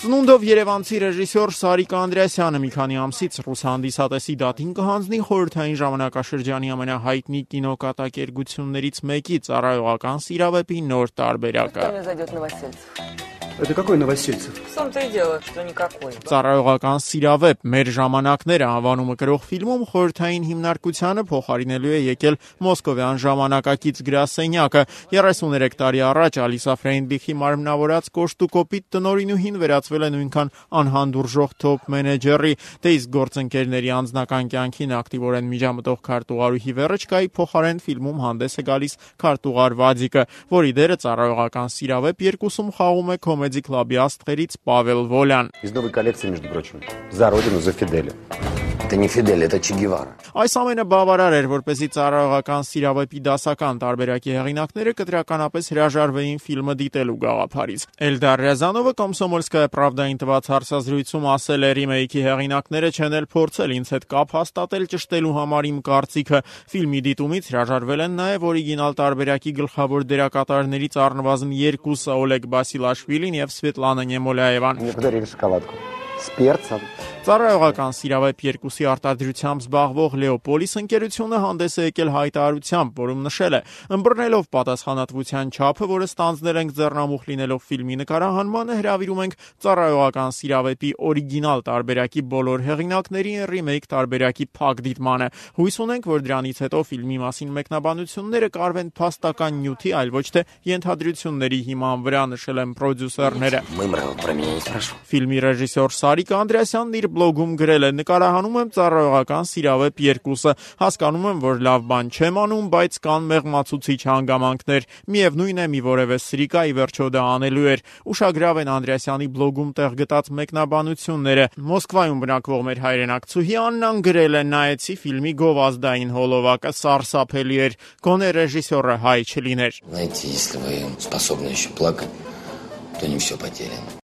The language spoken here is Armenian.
Ծնունդով երևանցի ռեժիսոր Սարիկ Անդրեասյանը մի քանի ամսից ռուս հանդիսատեսի դատին կհանձնի խորհրդային ժամանակաշրջանի ամենահայտնի կինոկատակերգություններից մեկի Ծառայողական սիրավեպի նոր տարբերակը։ Это какой Новосельцев? В том-то и дело, что никакой. Ծառայողական սիրավեպ մեր ժամանակները անվանումը կրող ֆիլմում խորհրդային հիմնարկությանը փոխարինելու է եկել մոսկովյան ժամանակակից գրասենյակը։ 33 տարի առաջ Ալիսա Ֆրեյնդլիխի մարմնավորած կոշտուկոպիտ տնօրինուհին վերածվել է նույնքան անհանդուրժող թոփ մենեջերի, դե իսկ գործընկերների անձնական կյանքին ակտիվորեն միջամտող քարտուղարուհի Վերեչկայի փոխարեն ֆիլմում հանդես է գալիս քարտուղար Վադիկը, որի դերը Ծառայողական սիրավեպ 2-ում խաղում է Comedy Club-ի աստղերից Պավել Վոլյան։ Из новой коллекции, между прочим. За родину, за Фиделя. Это не Фидель, это Че Гевара. Այս ամենը բավարար էր, որպեսզի Ծառայողական սիրավեպի դասական տարբերակի հեղինակները կտրականապես հրաժարվեին ֆիլմը դիտելու գաղափարից։ Էլդար Ռիազանովը Կոմսոմոլսկայա Պրավդային տված հարցազրույցում ասել է՝ «Ռիմեյքի հեղինակները չեն էլ փորձել ինձ հետ կապ հաստատել ճշտելու համար իմ կարծիքը։ Ֆիլմի դիտումից հրաժարվել են նաև օրիգինալ տարբերակի գլխավոր դերակատարներից առնվազն երկուսը՝ Օլեգ Բասիլաշվիլին եւ Սվետլանա Նեմոլաևան»։ Мне подарили шоколадку с перцем. Ծառայողական սիրավեպ 2-ի արտադրությամբ զբաղվող Լեոպոլիս ընկերությունը հանդես է եկել հայտարարությամբ, որում նշել է. «Ըմբռնելով պատասխանատվության չափը, որը ստանձնել ենք ձեռնամուխ լինելով ֆիլմի նկարահանմանը, հրավիրում ենք Ծառայողական սիրավեպի օրիգինալ տարբերակի բոլոր հեղինակներին ռիմեյք տարբերակի փակ դիտմանը։ Հույս ունենք, որ դրանից հետո ֆիլմի մասին մեկնաբանությունները կարվեն փաստական նյութի, այլ ոչ թե ենթադրությունների հիման վրա», նշել են պրոդյուսերները։ Мымрал про меня не спрашивал. Ֆիլմի ռեժիսոր Սարիկ Անդրեասյանն իր բլոգում գրել է. «Նկարահանում եմ Ծառայողական սիրավեպ 2-ը, հասկանում եմ, որ լավ բան չեմ անում, բայց կան մեղմացուցիչ հանգամանքներ, միևնույն է մի որևէ սրիկա ի վերջո դա անելու էր»։ Ուշագրավ են Անդրեասյանի բլոգում տեղ գտած մեկնաբանությունները։ Մոսկվայում бնակվող մեր հայրենակցուհի Աննան գրել է. «Նայեցի ֆիլմի գովազդային հոլովակը, սարսափելի էր, գոնե ռեժիսորը հայ չլիներ»։ Знаете, если вы способны еще плакать, то не все потеряно.